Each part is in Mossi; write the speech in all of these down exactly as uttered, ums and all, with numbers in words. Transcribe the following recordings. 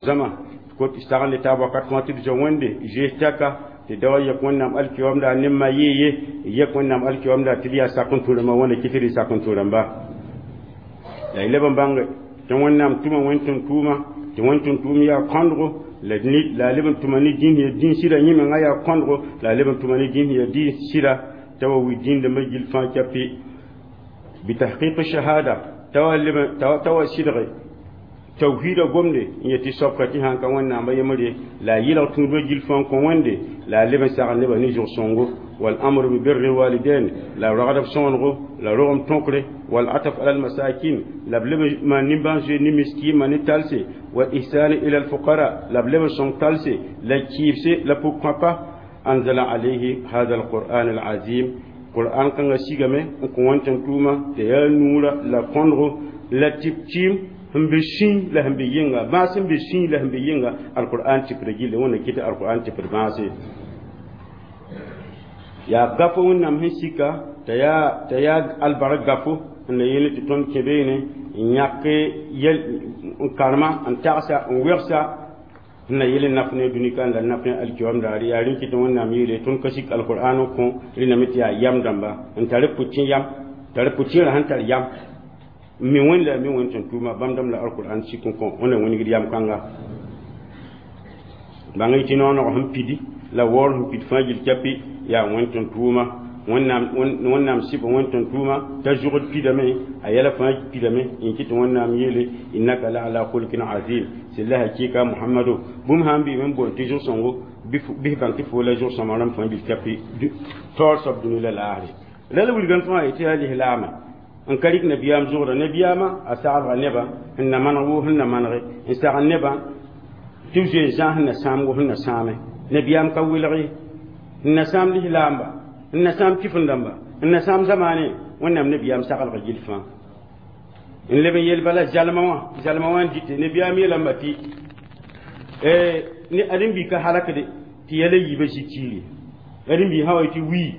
Zama ko sagl taab wakat fãa tɩ d zoe Wẽnde zoees tɛka tɩ da wa yek Wẽnnaam alkiyoamda ne ma yee ye yek Wẽnnaam alkiyoamda tɩ d yaa sak n tũ rãmbã. Wẽnda kɩ tɩ d sak n tũ rãmba la y leb n bãnge tɩ Wẽnnaam tʋma wẽn tʋm-tʋʋma tɩ wẽn tʋm-tʋʋm yaa kõndgo la la a leb n tʋma ne dĩn ya dĩn sɩda yẽ menga yaa kõndgo la a leb n tʋma ne dĩn ya dĩn sɩda t'a wa wi dĩndãmbã gill fãa capi bitahqiq shahada t'a wa leb t'a wa sɩdge tawhida gomde n yetɩ soabka tɩ sãn ka Wẽnnaamba yembre la a yɩlg tũudbã gill fãa kõ Wẽnde la a leb n sagl nebã ne zʋg-sõngo والأمر ببر الوالدين la ragd b sõonego la rogem tõkre والعطف على المساكين la b leb n maan nimbãan-zoeer ne miskiimã ne talse والإحسان إلى الفقراء la b leb n sõng talse la kɩɩbse la pʋg-kõapa أنزل عليه هذا القرآن العظيم qur'an kãngã sigame n kõ wẽn tʋm-tʋʋma tɩ yaa nuura la kõndgo la tɩp tiim sẽn be sũy la sẽn be yɩnga bãas sẽn be sũy la sẽn be yɩnga alqur'an tɩpd gilli. Wẽnna kɩ tɩ alqur'an tɩpd bãase yaa gafo Wẽnnaam sẽn sika t'a yaa t'a yaa albark gafo n la yeel tɩ tõnd kẽ beene n yãk yɛl n karema n tagsa n wegsa n na yel n naf ne dũni ka n la naf ne alkiyom daare yaa rẽn kɩ tɩ Wẽnnaam yeele tõnd ka sik alqur'an n kõ rẽndame tɩ yaa yam dãmba n tar pʋtẽ yam tar pʋtẽerã sẽn tar yam n mi Wẽnd la mi Wẽnd tẽn tʋʋma bãmb dãmb la alqur'an sik n kõ wẽnna wĩnigd yam kãnga bãng y tɩ nooneg sẽn pidi la waoor sẽn pid fãa gill capi yaa wẽn tẽn tʋʋma Wẽnnaam Wẽnnaam sɩb wẽn tẽn tʋʋma t'a zʋgd pidame a yɛla fãa pidame n kɩ tɩ Wẽnnaam yeele إنك لعلى خلق عظيم sɩla hakɩɩka Mohamado bũmb sãn bɩ n boond tɩ zʋg-sõngo bɩs bãng tɩ fo la zʋg-sõma rãmb fãa gill capi taoor soab dũni la laasre la la wilgame fãa yetɩ yaa lislaamã n ka rɩk nabiyaam zʋgda nabiyaamã a saglga nebã sẽn na maneg woo sẽn na manege n sagl nebã tɩ b zoe n zãas sẽn na sãamgo sẽn na sãame nabiyaam ka welg ye n na sãam lislaamba n na sãam kifin dãmba n na sãam zamaane Wẽnnaam nabiyaam saglga gill fãa n leb n yel bala zalma wã zalma wã n dɩte nabiyaam yeelame tɩ ne ãdem-bi ka halakde tɩ yɛla yiibã zĩ tiire ãdem-bi sã wa tɩ wii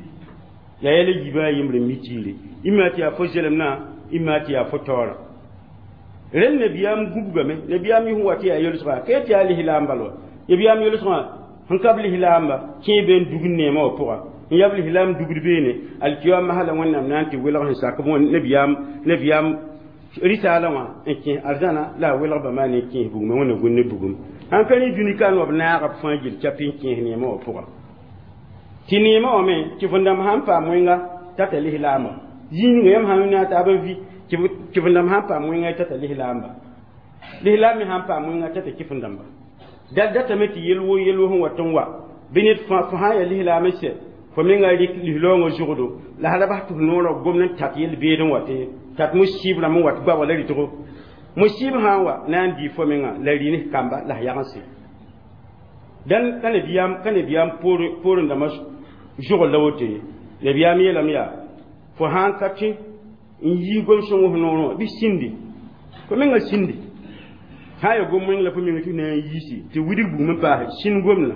yaa yɛla yiibã a yembre n mi tiire ima tɩ yaa fo zelemnã ima tɩ yaa fo taoorã rẽnd nabiyaam gubgame nabiyaam yɩ sẽn wa tɩ yaa yolsgã ka tɩ yaa lislaam bal wa nabiyaam yolsgã sẽn ka b lislaamba kẽe be n dugd neemã wã pʋga n yaa b lislaam dugd beene alkiyama hala Wẽnnaam na n tɩ welg sẽn sak nabiyaam nabiyaam risaalã wã n kẽ arzãna la a welg bãmba ne kẽes bugmã Wẽnna gũn ne bugum sãn ka rẽ dũni ka n wa b naaga b fãa gill capi n kẽes neemã wã pʋga tɩ neemã wã me tɩ fo dãmb sãn paam wẽnga tata lislaamba zĩig ninga yãmb sãn na taab n vi tɩ fo dãmb sãn paam wẽnga tata lislaamba lislaam me sãn paam wẽnga tata kɩf dãmba dal datame tɩ yel wo yel wo sẽn wat n wa bɩ ned fo sã yaa lislaam n sɛ fo menga rɩk lislaoongã zʋgdo la sã ra bas tɩ f noorã gomd n tat yel beed n wate tat musib rãmb n wat goaba la rɩtgo musib sã n wa na n dii fo menga la rɩ ne kamba la f yagse dãn ka nabiyaam ka nabiyaam poorẽ dãmbã zʋgl la woto ye nabiyaam yeelame yaa fo sãn ka tẽ n yii gom-sõng f noorẽ wã bɩ sĩndi fo menga sĩndi sã n ya gom wẽng la fo menga tɩ na n yiisi tɩ widg bugum n paase sĩnd gomdã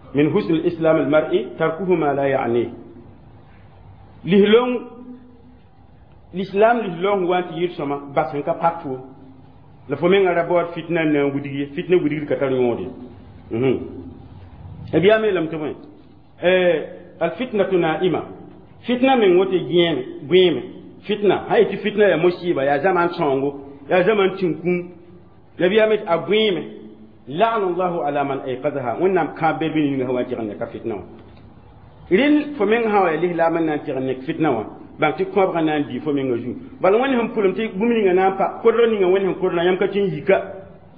من حسن إسلام المرء تركه ما لا يعنيه lislong l'islam lislong wa tɩ yɩr sõma bas sẽn ka pak fo la fo menga ra baood fitna n na n widg ye fitna widgd ka tar yõod ye nabiyaam yeelame tɩ bõe الفتنة نائمة fitna meng woto gẽeme gõeeme fitna sã yetɩ fitna yaa musiba yaa zaman sõngo yaa zaman tĩn-kũum nabiyaam a gõeeme لعن الله على من أيقظها Wẽnnaam kãab bel bɩ ninga sã wa n tɩg n neka fitna wã rel fo meng sã wa yaa lislaam n na n tɩg n nek fitna wã bãng tɩ kõabgã na n dii fo menga zu bala Wẽnd sẽn pʋlem tɩ bũmb ninga na n pa kodg ninga Wẽnd sẽn kodrã yãmb ka tɩ n yika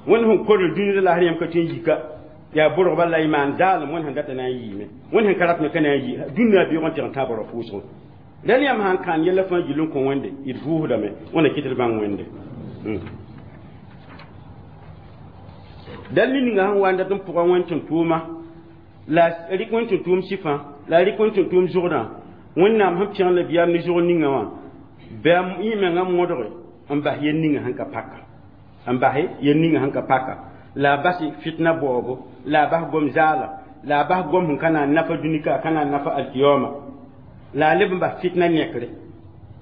Wẽnd sẽn kodr dũni la lasr yãmb ka tɩ n yika yaa borgba la y maan zaalem Wẽnd sẽn data na n yiime Wẽnd sẽn ka rat me ka na n yi dũnna beoog n tɩg n tãab ra pʋʋsgo dãn yãmb sãn kãan yɛla fãa gill n kõ Wẽnde d vʋʋsdame Wẽnna kɩt d bãng Wẽnde dal ninga sẽn wa n dat n pʋga wẽn tẽn tʋʋma la rɩk wẽn tẽn tʋʋm sɩfã la rɩk wẽn tẽn tʋʋm zʋgdã Wẽnnaam sẽn pẽg nabiyaam ne zʋgd ninga wã bɩ yẽ mengã modge n bas yel ninga sẽn ka paka n bas yel ninga sẽn ka paka la a bas fitna baoobo la a bas gom zaala la a bas gom sẽn ka na n nafa dũni ka ka na n nafa alkiyoma la a leb n bas fitna nekre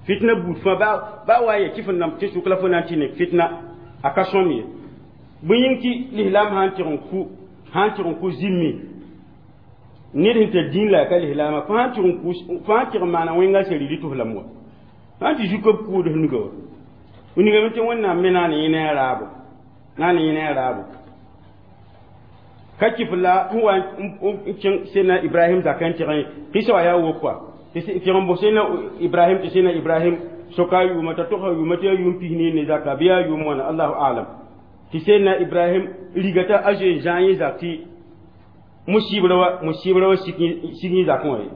fitna buud fãa ba ba wa ya kɩf n dãmb tɩ sʋk la fo na n tɩ nek fitna a ka sõm ye. Bõe yĩng tɩ lislaam sã n tɩg n ku sã n tɩg n ku zĩmmi ned sẽn tar dĩin la a ka lislaama fo sã n tɩg n ku fo sã n tɩg n maana wẽnga seri tɩ f lame wa sã n tɩ zu ka b kʋʋd f nuga wa wilgame tɩ wẽnnaam me naan yẽ ne a raabo naan yẽ ne a raabo ka kɩf la n wa n kẽng sẽnna Ibrahim zakã n tɩg kɩsa wa yaa wokwa tɩ tɩg n bos sẽnna Ibrahim tɩ sẽnna Ibrahim soka a yʋʋma t'a togsa yʋʋma tɩ yaa yʋʋm pis ne ne zaka bɩ yaa yʋʋm wãna allahu alam tɩ sẽnna Ibrahim riga t'a a zoe n zãag yẽ zak tɩ musibra wa musibra wa sik yẽ zakẽ wã ye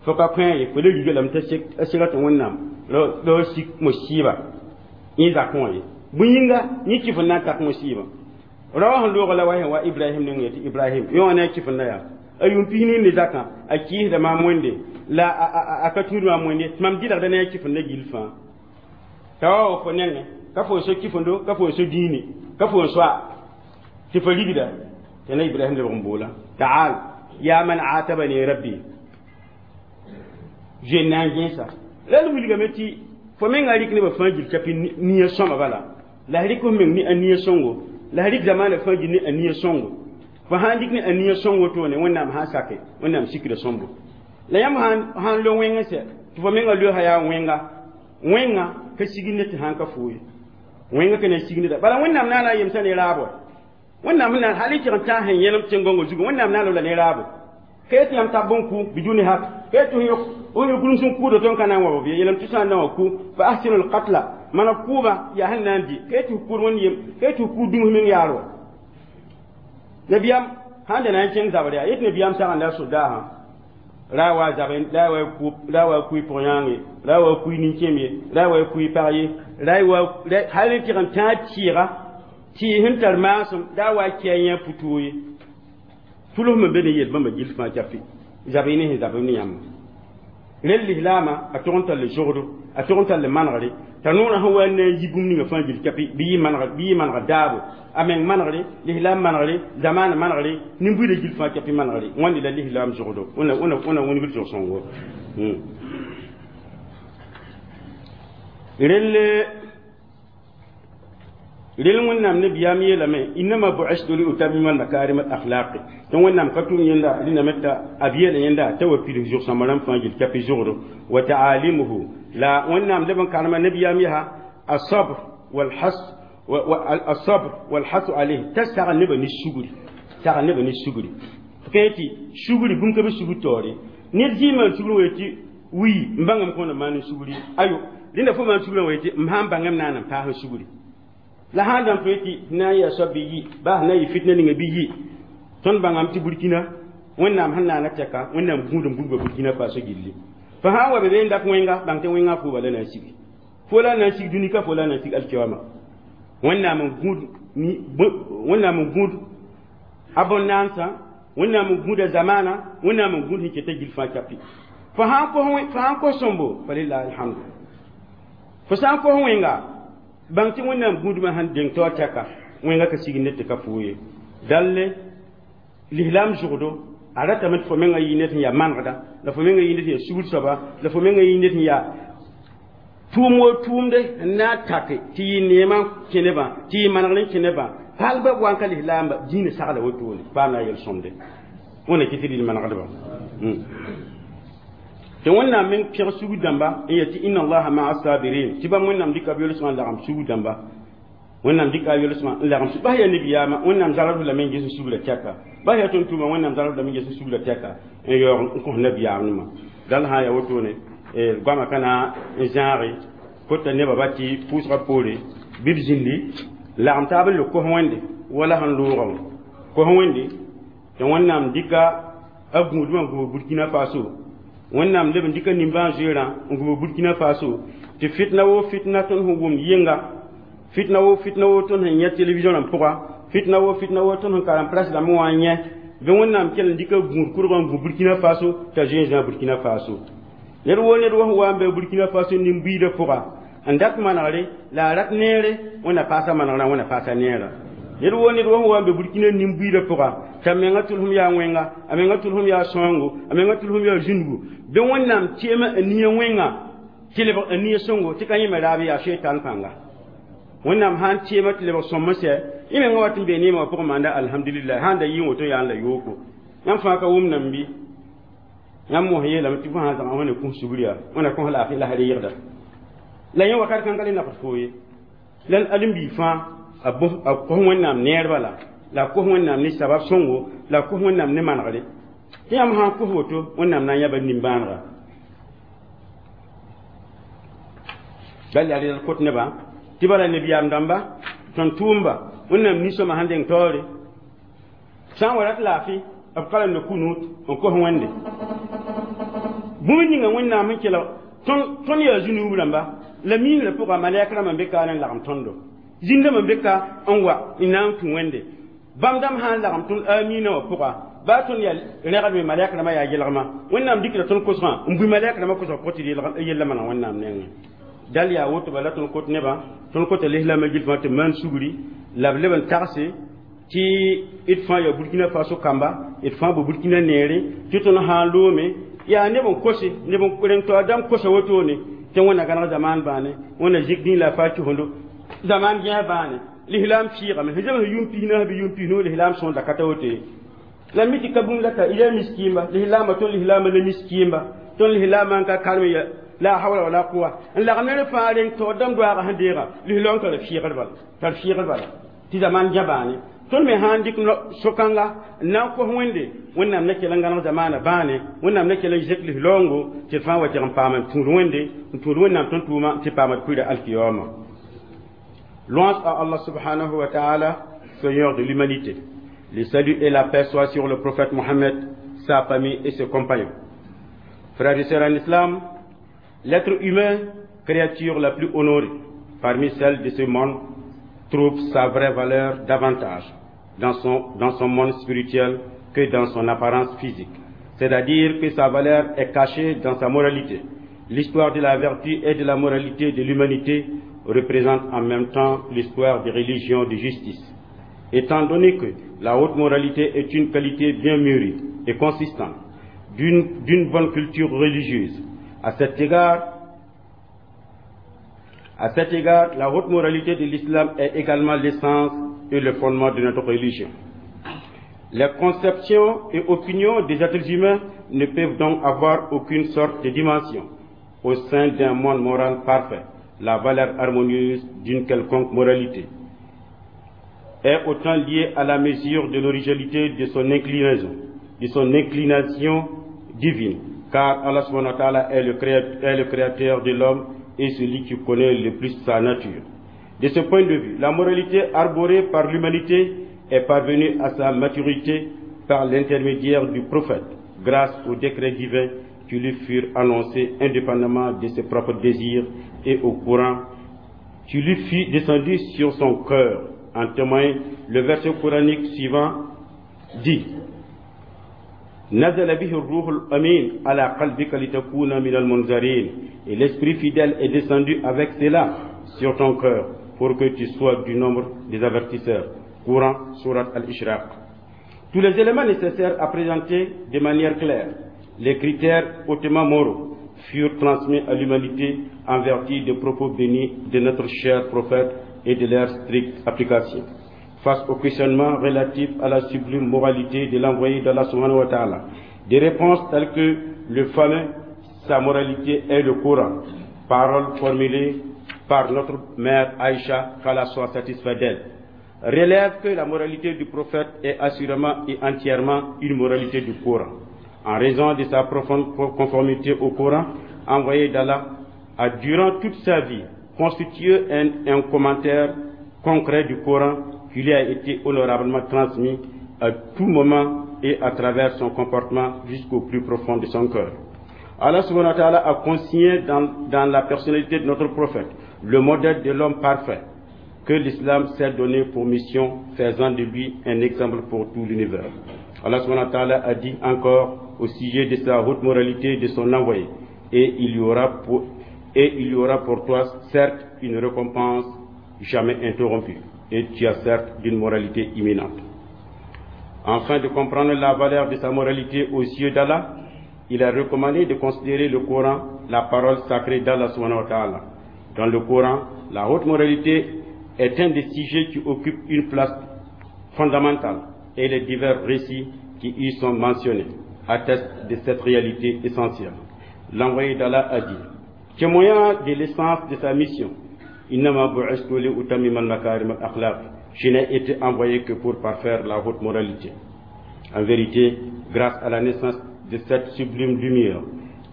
fo ka kõ ye fo le riga lame t'a sega tɩ wẽnnaam ra sik musiba yẽ zakẽ wã ye bõe yĩnga yẽ kɩf n na n tak musiba rawa sẽn loog la wa sẽn wa Ibrahim ning yetɩ Ibrahim yõ wã ne a kɩf n na yaa a yʋʋm pis ne ne zakã a kɩɩsda maam wẽnde la a ka tũud maam wẽnde tɩ mam dɩlgda ne a kɩf n na gill fãa t'a wa wa fo nengẽ ka fo n so kɩfendo ka fo n so dĩini ka fo n soa tɩ fo rigda tɩ na Ibrahim lebg n boola taal ya man atabani rabbi zoe na n gẽesa la l wilgame tɩ fo menga rɩk nebã fãa gil kapi nia sõma bala la rɩk f meng ne a nia sõngo la rɩk zamaanã fãa gil ne a nia sõngo fo sãn rɩk ne a nia sõng wotone wẽnnaam sã n sake wẽnnaam sikda sõmbo la yãmb sãn lo wẽng sɛ tɩ fo menga loosã yaa wẽnga wẽnga ka sig ne tɩ sãn ka foo ye wẽnga ka na sig neda bala wẽnnaam naana a yemsã ne raabo wẽnnaam sẽn hal y tɩg n tãas sẽn yẽlem tẽn-gõngã zugu wẽnnaam naana la ne raabo ka yetɩ yãmb tab bõn ku biduni hak ka yetɩ f yõk gũus n kʋʋda tõnd ka na n wa b ye yeelame tɩ sã n na wa ku fa ahsinu lqatla mana kʋʋba yaa sẽn na n dɩ ka yetɩ f kʋʋd wẽnd yem ka yetɩ f kʋʋd dũms meng yaar wa nabiyaam sãn da na n kẽng zabr yaa yetɩ nabiyaam sagenda a sodaasã ra wa zabe ra wa ku ra wa kui pʋg-yãange ra wa kui nin-kẽem ye ra wa kui pag ye ra wa hal n tɩg n tãag tɩɩga tɩɩs sẽn tar maasem da wa kɛ yã puto ye tʋlsm n be ne yel bãmba gill fãa kapi zab ne sẽn zab ne yãmb rel lislaamã a tog n tall zogdo a tog n tall manegre t'a noorã sẽn wa n na n yi bũmb ninga fãa gill kapi bɩ yɩ manegr bɩ yɩ manegr daabo a meng manegre lislaam manegre zamaana manegre nin-buidã gill fãa kapi manegre wãnde la lislaam zogdo wẽna wẽna wĩnigd zog-sõngo rel rel wẽnnaam nabiyaam yeelame innama bu'istu li utammima almakarim alakhlaqi tɩ wẽnnaam ka tʋm yẽnda rẽndame t'a b yeela yẽnda t'a wa pids zʋg-sõmb rãmb fãa gill kapi zogdo wa taalimuhu la wẽnnaam leb n karema nabiyaam yaa asabr walhas الصبر والحث عليه t'a sagl nebã ne sugri sagl nebã ne sugri tɩ tɩ sugri bũmb ka be sugr taoore ned zĩig maan sugr wa yetɩ wii n bãngame kõn n maan sugri ayo rẽnda fo maan sugrã wa yetɩ m sãn bãngame naan n paas sugri la sãn dãmb tõe tɩ na n yaa soab bɩ yi baa sẽn na n yɩ fitna ninga bɩ yi tõnd bãngame tɩ Burkina wẽnnaam sẽn naana tɛka wẽnnaam gũud n buudba Burkina Faso gilli fo sã n wa be be n dat wẽnga bãng tɩ wẽngã fooba la na n sigi fo la na n sig dũni ka fo la na n sig alkiyoama wẽnnaam n gũud wẽnnaam n gũud a bõn-naansã wẽnnaam n gũuda zamaana wẽnnaam n gũud sẽn keta gill fãa kapi fo sãn kos fo sãn kos sõmbo falilahi alhamdu fo sã n kos wẽnga bãng tɩ wẽnnaam gũudmã sẽn deng taoor tɛka wẽnga ka sig ned tɩ ka foo ye dalle lislaam zʋgdo a ratame tɩ fo mengã yɩ ned sẽn yaa manegda la fo mengã yɩ ned sẽn yaa sugr soaba la fo mengã yɩ ned sẽn yaa tʋʋm wo tʋʋmde n na n take tɩ yɩ neemã kẽ nebã tɩ yɩ manegr n kẽ nebã hal ba wa n ka lislaamba dĩinã sagla wotone paam na yel-sõmde wẽnna kɩ tɩ rɩl manegdba tɩ wẽnnaam meng pẽg sugr dãmba n yet tɩ inna allaha maa sabirin tɩ bãmb wẽnnaam dɩka b yolsgã n lagem sugr dãmba wẽnnaam dɩka a yolsgã n lagem bas yaa nabiyaamã wẽnnaam zalg lame n ges sugrã tɛka bas yaa tʋm-tʋʋma wẽnnaam zalg lame n ges sugrã tɛka n yaoog n kõs nabiyaam nima dal sã n yaa wotone goamã ka na n zãage kota nebã ba tɩ pʋʋsgã poore bɩ b zĩndi lagem taab n le kos wẽnde wala sẽn loogã wã kos wẽnde tɩ wẽnnaam dɩka a gũudmã n gũbg Burkina Faso wẽnnaam leb n dɩka nimbãan-zoeerã n gũbg Burkina Faso tɩ fitna wo fitna tõnd sẽn wʋmd yɩnga fitna wo fitna wo tõnd sẽn yẽ télévision rãmb pʋga fitna wo fitna wo tõnd sẽn karem presse rãmb wã n yẽ bɩ wẽnnaam kell n dɩka gũud kʋrgã n gũ Burkina Faso t'a zoe n zã Burkina Faso ned wo ned wa sẽn wa n be Burkina Faso nin-buiidã pʋga n dat manegre la a rat neere wẽnna paasa manegrã wẽnna paasa neerã ned wo ned wa sẽn wa n be Burkina nin-buiidã pʋga t'a menga tʋlsem yaa wẽnga a menga tʋlsem yaa sõngo a menga tʋlsem yaa zũndugu bɩ wẽnnaam teema a nia wẽnga tɩ lebg a nia sõngo tɩ ka yẽme raab yaa sheitan pãnga wẽnnaam sãn teema tɩ lebg sõm n sɛ Y menga wat n be neemã wã pʋgẽ maanda alhamdulillah sãn da yɩ woto yaa n la yooko yãmb fãa ka wʋm nam bɩ yãmb mos yeelame tɩ fo sã n zãga wẽna kũs sugr yaa wẽna kõs laafɩ la yɩgda la yẽ wakat kãng ka le nafd foo ye la alen-biig fãa a kos wẽnnaam neer bala la a kos wẽnnaam ne sabab sõngo la a kos wẽnnaam ne manegre tɩ yãmb sã n kos woto wẽnnaam na n yãba nimbãanega bal yaa rɩdl kot nebã tɩ bala nebiyaam dãmba tõnd tʋʋmba wẽnnaam nin-sõma sẽn deng taoore sã n wa rat laafɩ b ka kunut n kos wẽnde bũmb ninga wẽnnaam sẽn kelg tõnd yaa zu-nuub rãmba la miingrã pʋga malɛk rãmbã n be ka n lagem tõndo zĩndãmbã n be ka n wa n na n tũ wẽnde bãmb dãmb sã n lagem tõnd amiinã wã pʋga baa tõnd yaa rẽgdme malɛk rãmbã yaa yelgmã wẽnnaam dɩkda tõnd kosgã n bʋi malɛk rãmbã kosgã pʋgẽ tɩ yella maneg wẽnnaam nengẽ dal yaa woto bala tõnd kot nebã tõnd kota lislaamã gill fãa tɩ maan sugri la b leb n tagse tɩ d fãa yaa burkina faso kamba d fãa bo burkina neere tɩ tõnd sã n loome yaa neb n kose neb n rẽng taoor dãmb kosa wotone tɩ wẽnna gãneg zamaan bãane wẽnna zik dĩn la a faa kisondo zamaan gẽs bãane lislaam fiigame sẽn zems yʋʋm pis naas bɩ yʋʋm pis-noog lislaam sõorda ka ta woto ye la mi tɩ ka bũmb la ta ila miskiimba lislaamã tõnd lislaamã la miskiimba tõnd lislaamã n ka karem ya la hawla wala quwa n lagm ne fãa reng taoor dãmb doaaga sẽn deega lislaam tara fiigr bala tar fiigr bala tɩ zamaan gã bãane tõnd me sã n dɩk so-kãnga n na n kos wẽnde wẽnnaam na kell n gãneg zamaana bãane wẽnnaam na kell n zek lislaoongo tɩ d fãa wa tɩg n paam n tũud wẽnde n tũud wẽnnaam tõnd tʋʋma tɩ paam d kuira alkiyama. Louange à Allah subhanahu wa ta'ala, Seigneur de l'humanité. Le salut et la paix soient sur le prophète Mohammed, sa famille et ses compagnons. Frères et sœurs en islam, l'être humain, créature la plus honorée parmi celles de ce monde, trouve sa vraie valeur davantage dans son, dans son monde spirituel que dans son apparence physique. C'est-à-dire que sa valeur est cachée dans sa moralité. L'histoire de la vertu et de la moralité de l'humanité représente en même temps l'histoire des religions de justice. Étant donné que la haute moralité est une qualité bien mûrie et consistante d'une bonne culture religieuse, à cet égard, à cet égard, la haute moralité de l'islam est également l'essence et le fondement de notre religion. Les conceptions et opinions des êtres humains ne peuvent donc avoir aucune sorte de dimension au sein d'un monde moral parfait. La valeur harmonieuse d'une quelconque moralité est autant liée à la mesure de l'originalité de son inclinaison, de son inclination divine, car Allah subhanahu wa ta'ala est le, est le créateur de l'homme et celui qui connaît le plus sa nature. De ce point de vue, la moralité arborée par l'humanité est parvenue à sa maturité par l'intermédiaire du prophète, grâce au décret divin qui lui furent annoncés indépendamment de ses propres désirs et au courant qui lui fut descendu sur son cœur. En témoigne le verset coranique suivant dit: نزل به الروح الأمين على قلبك لتكون من المنذرين. Et l'esprit fidèle est descendu avec cela sur ton cœur pour que tu sois du nombre des avertisseurs. Coran, Surat Al-Ishraq. Tous les éléments nécessaires à présenter de manière claire les critères hautement moraux furent transmis à l'humanité en vertu des propos bénis de notre cher prophète et de leur stricte application. Face au questionnement relatif à la sublime moralité de l'envoyé d'Allah subhanahu wa ta'ala, des réponses telles que le fameux « Sa moralité est le Coran », parole formulée par notre mère Aïcha, qu'Allah soit satisfait d'elle, relève que la moralité du prophète est assurément et entièrement une moralité du Coran. En raison de sa profonde conformité au Coran, envoyé d'Allah a durant toute sa vie constitué un, un commentaire concret du Coran qui lui a été honorablement transmis à tout moment et à travers son comportement jusqu'au plus profond de son cœur. Allah subhanahu wa ta'ala a consigné dans, dans la personnalité de notre prophète le modèle de l'homme parfait que l'islam s'est donné pour mission, faisant de lui un exemple pour tout l'univers. Allah subhanahu wa ta'ala a dit encore au sujet de sa haute moralité de son envoyé : « Et il y aura pour, et il y aura pour toi certes une récompense jamais interrompue, et tu as certes d'une moralité éminente. » Afin de comprendre la valeur de sa moralité aux yeux d'Allah, il a recommandé de considérer le Coran, la parole sacrée d'Allah subhanahu wa ta'ala. Dans le Coran, la haute moralité est un des sujets qui occupe une place fondamentale et les divers récits qui y sont mentionnés attestent de cette réalité essentielle. L'envoyé d'Allah a dit, témoignant de l'essence de sa mission, je n'ai été envoyé que pour parfaire la haute moralité. En vérité, grâce à la naissance de cette sublime lumière,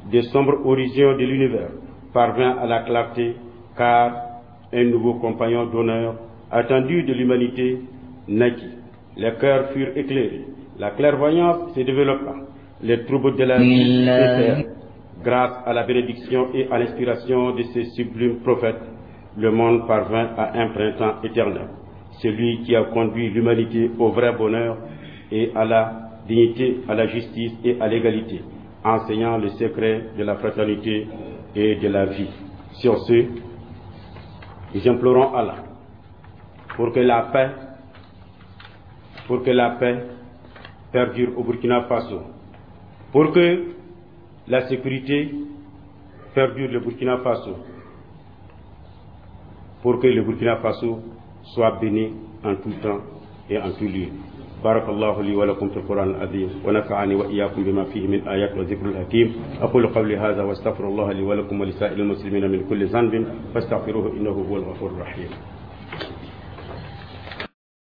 des sombres horizons de l'univers parvint à la clarté, car un nouveau compagnon d'honneur, attendu de l'humanité, naquit. Les cœurs furent éclairés, la clairvoyance se développa, les troubles de la vie cessèrent. Grâce à la bénédiction et à l'inspiration de ce sublime prophète, le monde parvint à un printemps éternel, celui qui a conduit l'humanité au vrai bonheur et à la dignité, à la justice et à l'égalité, enseignant le secret de la fraternité et de la vie. Sur ce, nous implorons Allah pour que la paix, pour que la paix perdure au Burkina Faso, pour que la sécurité perdure le Burkina Faso, pour que le Burkina Faso soit béni en tout temps et en tout lieu. بارك الله لي ولكم في القرآن العظيم ونفعني وإياكم بما فيه من آيات وذكر الحكيم. أقول قولي هذا واستغفر الله لي ولكم ولسائر المسلمين من كل ذنب فاستغفروه إنه هو الغفور الرحيم.